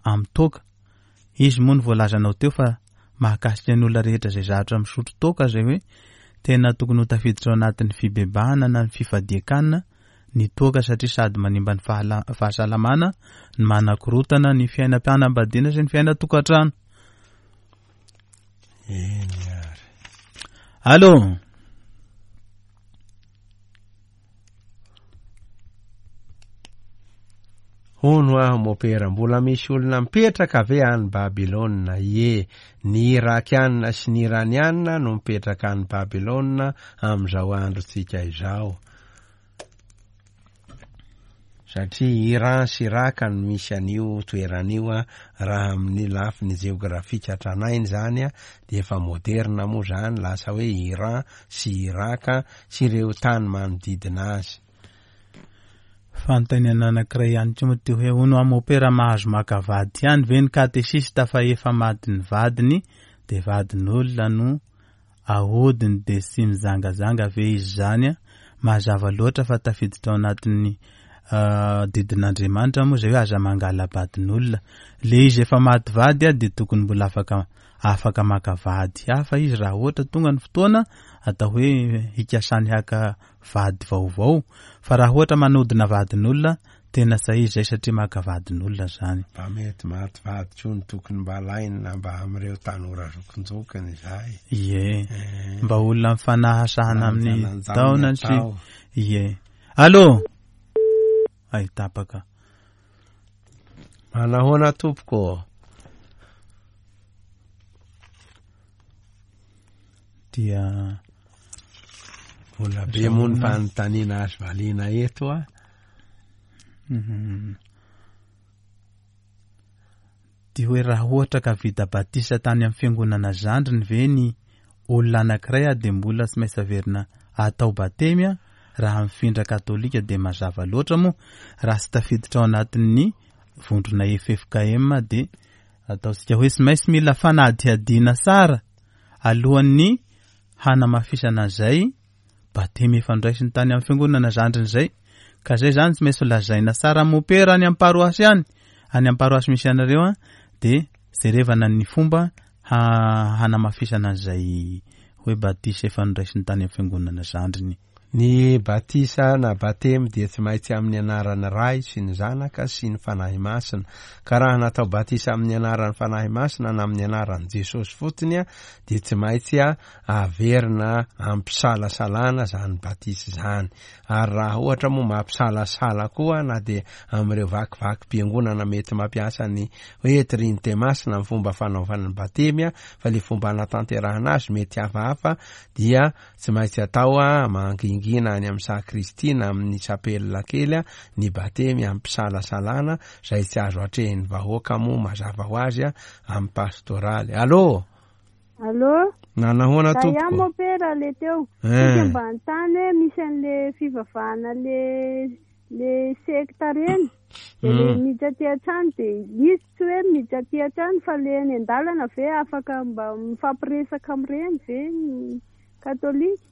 amin'ny toaka. Izy moa no voalazanao teo fa mahakasika ny olona rehetra izay zatra misotro toaka izay hoe tena tokony ho tafiditra ao anatin'ny fibebahana na ny fifadian-kanina ny toaka satria sady manimba ny fahasalamana ny manakorotana ny fiainam-panambadiana sy ny fiainan-tokantrano. Eny ary. Allô? Hono aho mopera, mbola misy olona mipetraka ve any Babylona? Ie, ny Irakianina sy ny Iranianina no mipetraka any Babylona amin'izao androntsika izao. Satria Iran sy Iraka no misy an'io toerana io raha amin'ny lafiny jeografika tranainy izany dia efa moderna moa izany lasa hoe Iran sy Iraka sy ireo tany manodidina azy. Fanontaniana anankiray ihany koa moa ty hoe hono aho mopera mahazo maka vady ihany ve ny katesista fa efa matin'ny vadiny dia vadin'olona no Ahodiny dia tsy mijangajanga ve izy izany a? Mazava loatra fa tafiditra ao anatin'ny didin'Andriamanitra moa izay hoe aza mangala-badin'olona. Le izy efa maty vady a dia tokony mbola afaka afaka maka vady hafa izy raha ohatra tonga ny fotoana atao hoe hikasany haka vady vaovao fa raha ohatra manodina vadin'olona Tena sahy izay satria maka vadin'olona zany. Mba mety maty vady koa ny tokony mba alaina mba amin'ireo tanora zokinjokiny izay. Ie. Eh. Mba olona mifanahasahana amin'ny Lanjalanjao ny taona sy atao. Ie. Allô? Ay tapaka. Manahoana tompoko? Dia Mbola be moa ny fanontaniana azo valiana eto a. Mhm. Dia hoe raha ohatra ka vita batisa tany amin'ny fiangonana zandriny ve ny olona anankiray a dia mbola tsy maintsy averina atao batemy a raha mifindra katolika dia mazava loatra moa raha tsy tafiditra ao anatin'ny vondrona FFKM dia ataontsika hoe tsy maintsy mila fanadihadiana tsara alohan'ny hanamafisana an'izay batemy efa noraisiny tany amin'ny fiangonana zandriny izay ka zay zany tsy maintsy lazaina tsara amin'ny mopera any amin'ny paroasy any, any amin'ny paroasy misy anareo an, dia jerevana ny fomba hanamafisana an'izay hoe batisa efa noraisiny tany amin'ny fiangonana zandriny. Ny batisa na batemy dia tsy maintsy amin'ny anaran'ny Ray sy ny Zanaka sy ny Fanahy Masina. Ka raha natao batisa amin'ny anaran'ny Fanahy Masina na amin'ny anaran'i Jesosy fotsiny dia tsy maintsy averina ampisalasalana izany batisa izany. Ary raha ohatra moa mampisalasala koa na dia amin'ireo vakivakim-piangonana mety mampiasa ny hoe Trinite Masina amin'ny fomba fanaovana ny batemy fa ilay fomba anatanterahana azy mety hafahafa dia Tsy maintsy atao mangingina any amin'ny sakristia na amin'ny chapelle kely ny batemy amim-pisalasalana izay tsy azo atrehin'ny vahoaka moa mazava ho azy amin'ny pastoraly. Allô! Allô? Nanahoana Za ihany tompoko? mopera le teo. Eh. Saika mba anontany hoe misy an'le fivavahana le le sekta reny de le miditra aty an-trano de izy tsy hoe miditra aty an-trano fa le eny an-dalana ve afaka mba mifampiresaka amin'ireny ve ny katolika?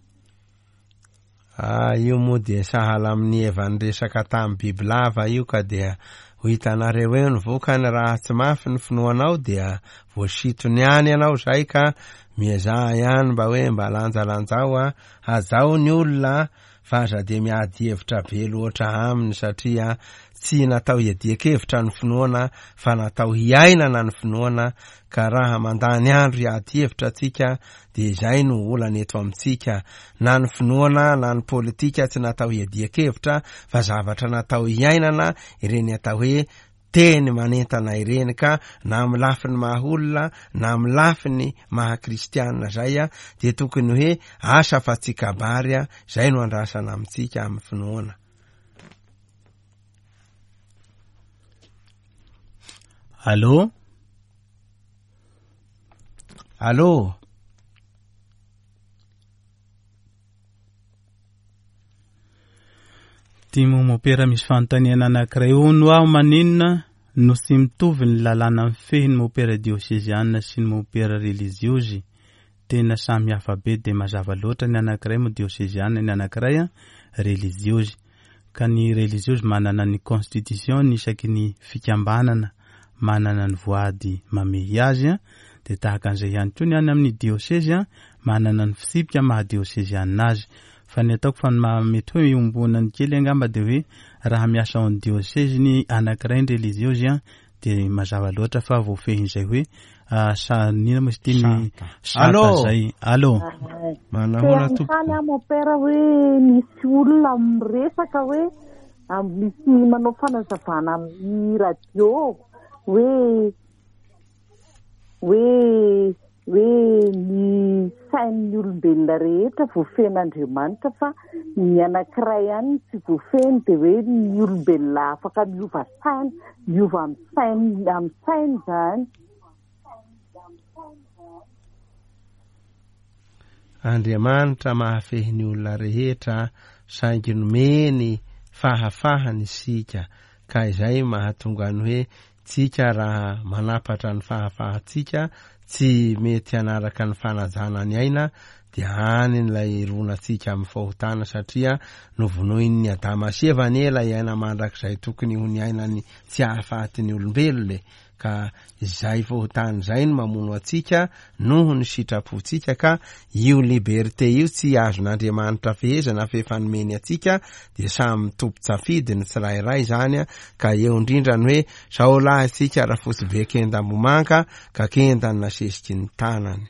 Ah, io moa dia sahala amin'ny Eva niresaka tamin'ny bibilava io ka dia ho hitanareo eo ny vokany raha tsy mafy ny finoanao dia voasitony ihany ianao zay ka miezaha ihany mba hoe mba lanjalanjao a, hajao ny olona fa aza dia miady hevitra be loatra aminy satria tsy natao hiadian-kevitra ny finoana fa natao hiainana ny finoana ka raha mandany andro hiady hevitra tsika dia izay no olana eto amintsika na ny finoana na ny politika tsy natao hiadian-kevitra fa zavatra natao hiainana ireny atao hoe teny manentana ireny ka na amin'ny lafiny maha olona na amin'ny lafiny maha kristianina zay a dia tokony hoe asa fa tsy kabary a zay no andrasana amintsika amin'ny finoana. Allô? Allô? Ty moa mopera misy fanontaniana anankiray hono aho maninona no tsy mitovy ny lalàna mifehy ny mopera dioseziana sy ny mopera reliziozy tena samy hafa be de mazava loatra ny anankiray moa dioseziana ny anankiray reliziozy ka ny reliziozy manana ny constitution ny isaky ny fikambanana manana ny voady mamehy azy de tahaka an'izay ihany koa ny any amin'ny diosezy manana ny fitsipika maha diosezianina azy Fa ny ataoko fa ny maha mety hoe iombonany kely angamba dia hoe raha miasa ao amin'ny diosezy ny anankiray ny reliziozy an dia mazava loatra fa voafehin'izay hoe sa inona moa izy ity ny sata zay. Allô. Manahoana Te tompoko? hanontany aho mon père hoe misy olona miresaka hoe misy manao fanazavana amin'ny radio hoe hoe hoe ny sain'ny olombelona rehetra voafehin'Andriamanitra fa ny anankiray ihany no tsy voafehiny dia hoe ny olombelona afaka miova saina, miova amin'ny sainy amin'ny sainy izany. Andriamanitra mahafehy ny olona rehetra saingy nomeny fahafahana isika ka izay mahatonga ny hoe Tsika raha manapatra ny fahafahantsika tsy mety hanaraka ny fanajana ny aina dia any ilay hironantsika amin'ny fahotana satria novonoin'ny Adama sy Eva anie ilay aina mandrakizay tokony ho niainany tsy hahafaty ny olombelona e! ka izay fahotana izay no mamono antsika noho ny sitrapontsika ka io liberté io tsy azon'Andriamanitra fehezana fa efa nomeny antsika dia samy tompon-tsafidy ny tsirairay izany ka eo indrindra ny hoe zao lahy isika rafotsy be kenda ambomanga ka kenda ny nasesiky ny tanany.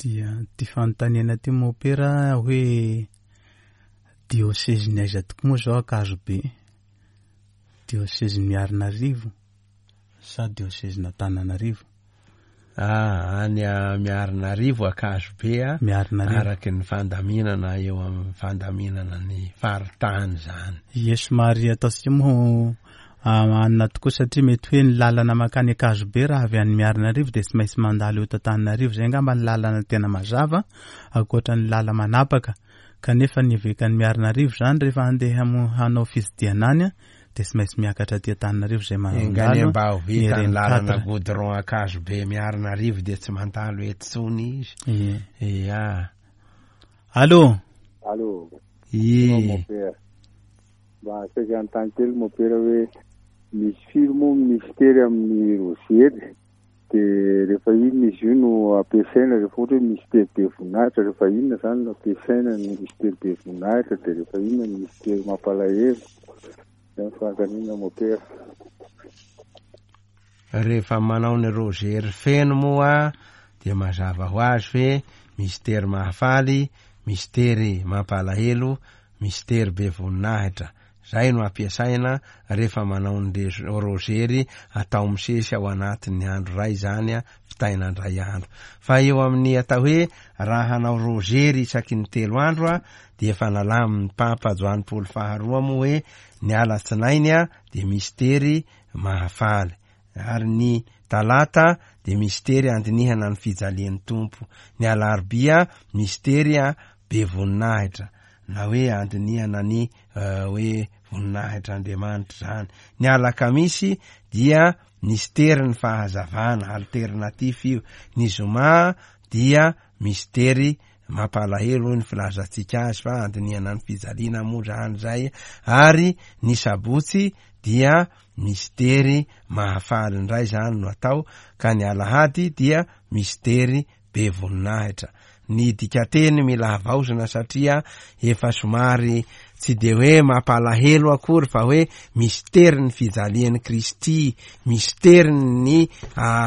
Dia ity fanontaniana ity mopera hoe diosezin'ny aiza tokoa moa izao Ankazobe? Diosezin'i Miarinarivo sa diosezin'Antananarivo? Ah, any Miarinarivo Ankazobe a, Miarinarivo. araky ny fandaminana eo amin'ny fandaminana ny faritany izany. Ie, somary ataontsika moa anona tokoa satria mety hoe ny lalana mankany Ankazobe raha avy any Miarinarivo dia tsy maintsy mandalo eto Antananarivo, izay angamba ny lalana tena mazava ankoatra ny lala manapaka. Kanefa ny evekan'i Miarinarivo izany rehefa handeha hanao fitsidihana any dia tsy maintsy miakatra aty Antananarivo izay Enga anie mandalo mba ho ny vita ny RN lalana quatre. goudron Ankazobe Miarinarivo dia tsy mandalo eto intsony izy. Ie. Ia. Allô. Allô. Ie. Mon père. Mba saika hanontany kely Mompera hoe misy firy moa ny mistery amin'ny rozery dia rehefa inona izy io no ampiasaina rehefa ohatra hoe mistery be voninahitra rehefa inona izany no ampiasaina ny mistery be voninahitra dia rehefa inona ny mistery mampalahelo izay ny fanontaniana Mompera. Rehefa manao ny rozery feno moa dia mazava ho azy hoe mistery mahafaly, mistery mampalahelo, Mistery be voninahitra, zay no ampiasaina rehefa manao ny rozery atao misesy ao anatin'ny andro iray izany vitaina indray andro. Fa eo amin'ny atao hoe raha hanao rozery isaky ny telo andro dia efa nalamin'ny Papa Joany Paoly faharoa moa hoe ny alatsinainy dia mistery mahafaly. Ary ny talata dia mistery andinihana ny fijalian'ny Tompo. Ny alarobia mistery be voninahitra na hoe andinihana ny hoe voninahitr'Andriamanitra izany. Ny alakamisy dia mistery ny fahazavana, alternatif io. Ny zoma dia mistery mampalahelo hoy ny filazantsika azy fa andinihana ny fijaliana moa izany izay. Ary ny sabotsy dia Mistery mahafaly indray izany no atao ka ny alahady dia mistery be voninahitra. Ny dikateny mila havaozina satria efa somary tsy dia hoe mampalahelo akory fa hoe misterin'ny fijalian'i Kristy, misterin'ny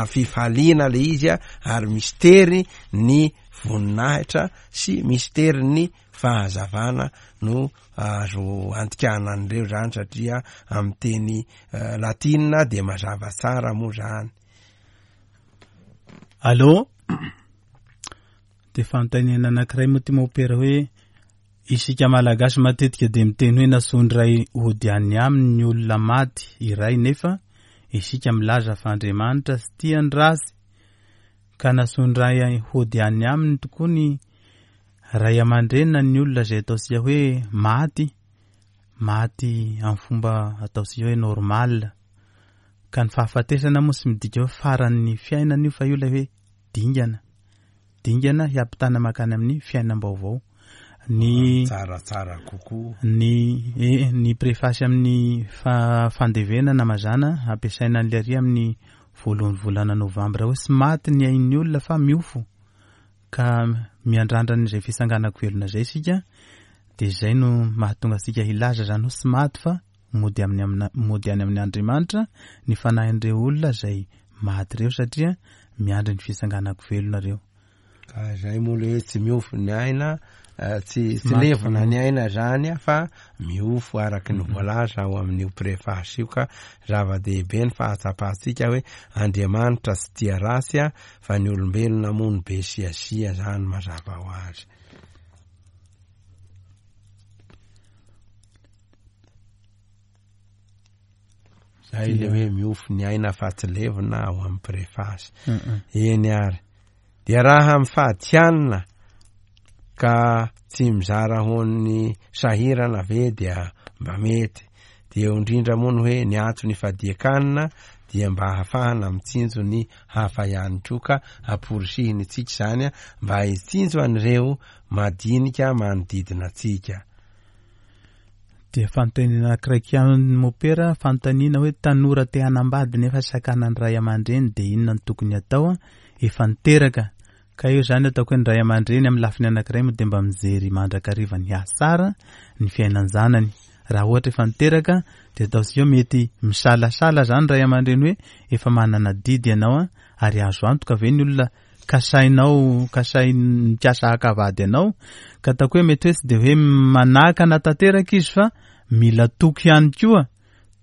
fifaliana le izy ary mistery ny voninahitra sy misterin'ny fahazavana no azo andikana an'ireo zany satria amin'ny teny latina dia mazava tsara moa zany. Allô? Dia fanontaniana anankiray moa ty mopera hoe isika malagasy matetika dia miteny hoe nasondray hody any aminy ny olona maty iray nefa isika milaza fa Andriamanitra tsy tia ny ratsy ka nasondray hody any aminy tokoa ny Ray aman-dreny na ny olona izay ataontsika hoe maty, maty amin'ny fomba ataontsika hoe normal. Ka ny fahafatesana moa tsy midika hoe faran'ny fiainana io fa io ilay hoe dingana. Dingana hiampitana mankany amin'ny fiainam-baovao. Ny tsaratsara kokoa. Ny eh, ny prefasy amin'ny fa, fandevenana mazàna ampiasaina an'ilay ary amin'ny voalohan'ny volana novambra hoe tsy maty ny ain'ny olona fa miofo. Ka miandrandra an'izay fitsanganako velona izay isika, dia izay no mahatonga antsika hilaza izany hoe tsy maty fa mody amin'ny amina mody any amin'ny Andriamanitra ny fanahin'ireo olona izay maty ireo satria miandry ny fitsanganako velona ireo. Ka izay moa le hoe tsy miofo ny aina, tsy tsy levona ny aina zany fa miofo araka ny voalaza ao amin'io préface io ka zava-dehibe ny fahatsapantsika hoe Andriamanitra tsy tia ratsy fa ny olombelona moa no be siasia zany mazava ho azy. Zay le hoe miofo ny aina fa tsy levona ao amin'ny préface. Eny ary. Dia raha mifady hanina ka tsy mizara ho an'ny sahirana ve dia mba mety. Dia eo indrindra moa ny hoe ny antony ifadian-kanina dia mba ahafahana mitsinjo ny hafa ihany koa ka amporisihiny antsika izany mba hitsinjo an'ireo madinika manodidina antsika. Dia fanontaniana anankiray ihany mopera, fanontaniana hoe tanora te hanambady nefa sakanan'ny ray aman-dreny dia inona no tokony hatao? Efa niteraka. Ka eo izany ataoko hoe ny ray aman-dreny amin'ny lafiny anankiray moa dia mba mijery mandrakariva ny hasara ny fiainan-janany. Raha ohatra efa niteraka dia ataontsika hoe mety misalasala izany ray aman-dreny hoe efa manana adidy ianao ary azo antoka ve ny olona kasainao kasain mikasa haka vady anao ka ataoko hoe mety hoe tsy de hoe manakana tanteraka izy fa mila toky ihany koa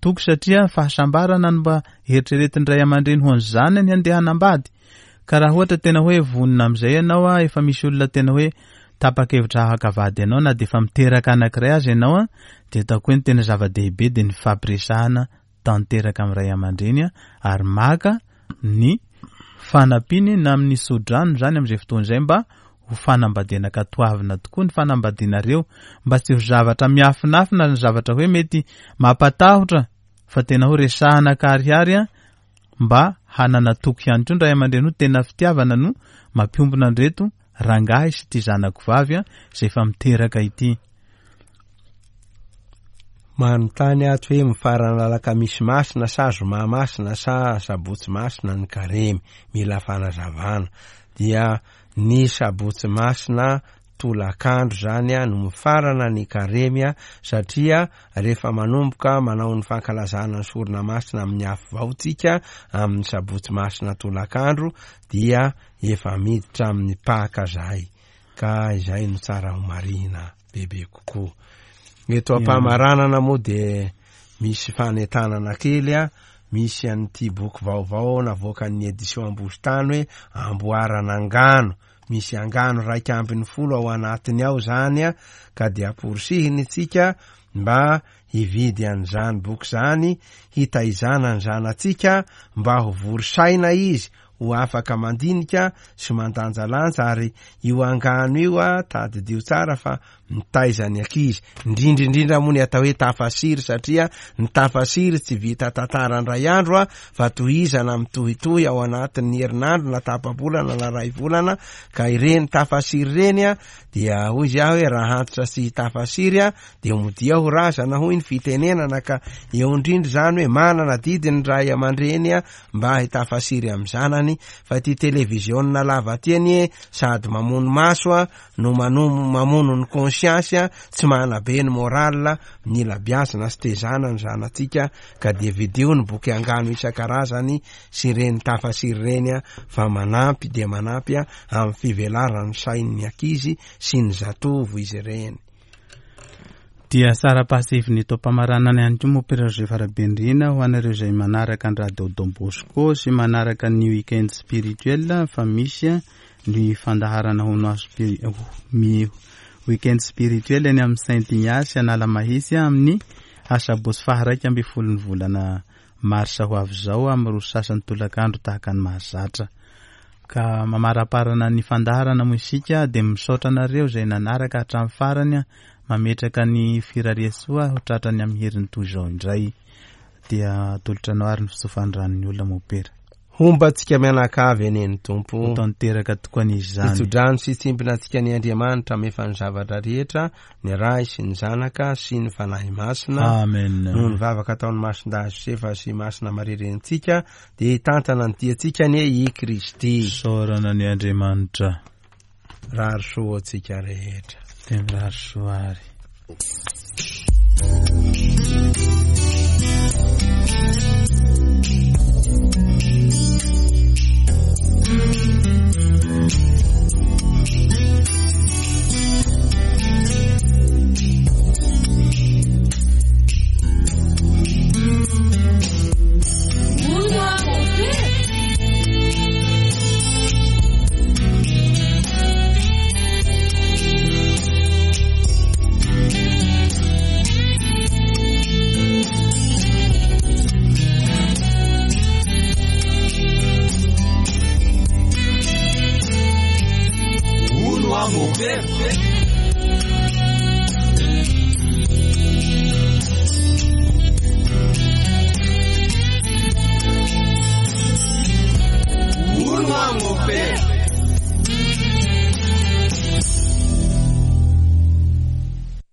toky satria fahasambarana no mba eritreretin'ny ray aman-dreny ho an'ny zanany handeha hanambady ka raha ohatra tena hoe vonona amin'izay ianao a efa misy olona tena hoe tapa-kevitra haka vady anao na de efa miteraka anankiray aza ianao a de ataoko hoe ny tena zava-dehibe de ny fampiresahana tanteraka amin'ny ray aman-dreny ary maka ny fanampiany na amin'ny tso-drano izany amin'izay fotoana izay mba ho fanambadiana ka toavina tokoa ny fanambadianareo mba tsy ho zavatra miafinafina ny zavatra hoe mety mampatahotra fa tena ho resahana ankarihary mba hanana toky ihany koa ny ray aman-dreny ho tena fitiavana no mampiombona an'ireto rangahy sy ity zanako vavy izay efa miteraka ity. Manontany ato hoe mifarana alakamisy masina sa zoma masina sa sabotsy masina ny karemy? Mila fanazavana. Dia ny sabotsy masina tolakandro zany no mifarana ny karemy satria rehefa manomboka manao ny fankalazana ny sorona masina amin'ny afo vao tsika amin'ny sabotsy masina tolakandro dia efa miditra amin'ny paka zahay ka izay no tsara ho marihina bebe kokoa. Eto am-pamaranana moa dia misy fanentanana kely a, misy an'ity boky vaovao navoakan'ny édition Ambositany hoe Amboarana angano. Misy angano 11 ao anatiny ao zany a, ka dia amporisihiny isika mba hividy an'izany boky izany, hitaizana ny zanatsika mba ho vory saina izy, ho afaka mandinika sy mandanjalanja ary io angano io a, tadidio tsara fa mitaiza ny ankizy, indrindra indrindra moa ny atao hoe tafasiry satria ny tafasiry tsy vita tantara indray andro a, fa tohizana mitohitohy ao anatin'ny herinandro na tapa-bolana na ray volana, ka ireny tafasiry ireny a, dia hoy izy aho hoe raha antitra sy tafasiry a, dia modia ho razana hoy ny fitenenana, ka eo indrindra izany hoe manana adidy ny ray aman-dreny a, mba hitafasiry amin'ny zanany, fa ity televiziona lava ity anie sady mamono maso a, no manomo mamono ny conscience, tsy manabe ny moral, mila biazina sy tezana ny zanatsika ka dia vidio ny boky angano isan-karazany sy ireny tafasiry ireny fa manampy dia manampy amin'ny fivelaran'ny sain'ny ankizy sy ny zatovo izy ireny. Dia sara-pahasiviny eto am-pamaranana ihany koa moa Père Joseph Rabenirina ho anareo izay manaraka ny Radio Don Bosco sy manaraka ny week-end spirituel fa misy ny fandaharana hono mi week-end spirituel eny amin'ny Saint Ignace Analamahitsy amin'ny asabotsy faha 11 ny volana marsa ho avy izao amin'ny roa sasany tolakandro tahaka ny mahazatra. Ka mamaraparana ny fandaharana moa isika dia misaotra anareo izay nanaraka hatramin'ny farany mametraka ny firariantsoa ho tratrany amin'ny heriny toy izao indray. Dia atolotra anao ary ny fitsofan'ny olona mopera. Homba antsika mianakavy anie ny Tompo. Ho tanteraka tokoa anie izany. Hitsodrano sy hitsimbina antsika anie Andriamanitra hamefa ny zavatra rehetra, ny Ray sy ny Zanaka sy ny Fanahy Masina. Amen. Noho ny vavaka ataon'i Masindahy Josefa sy Masina Maria Renintsika, dia hitantana ny diantsika anie i Kristy. Isaorana anie Andriamanitra. Rary soa ho antsika rehetra. Dia mirary soa ary.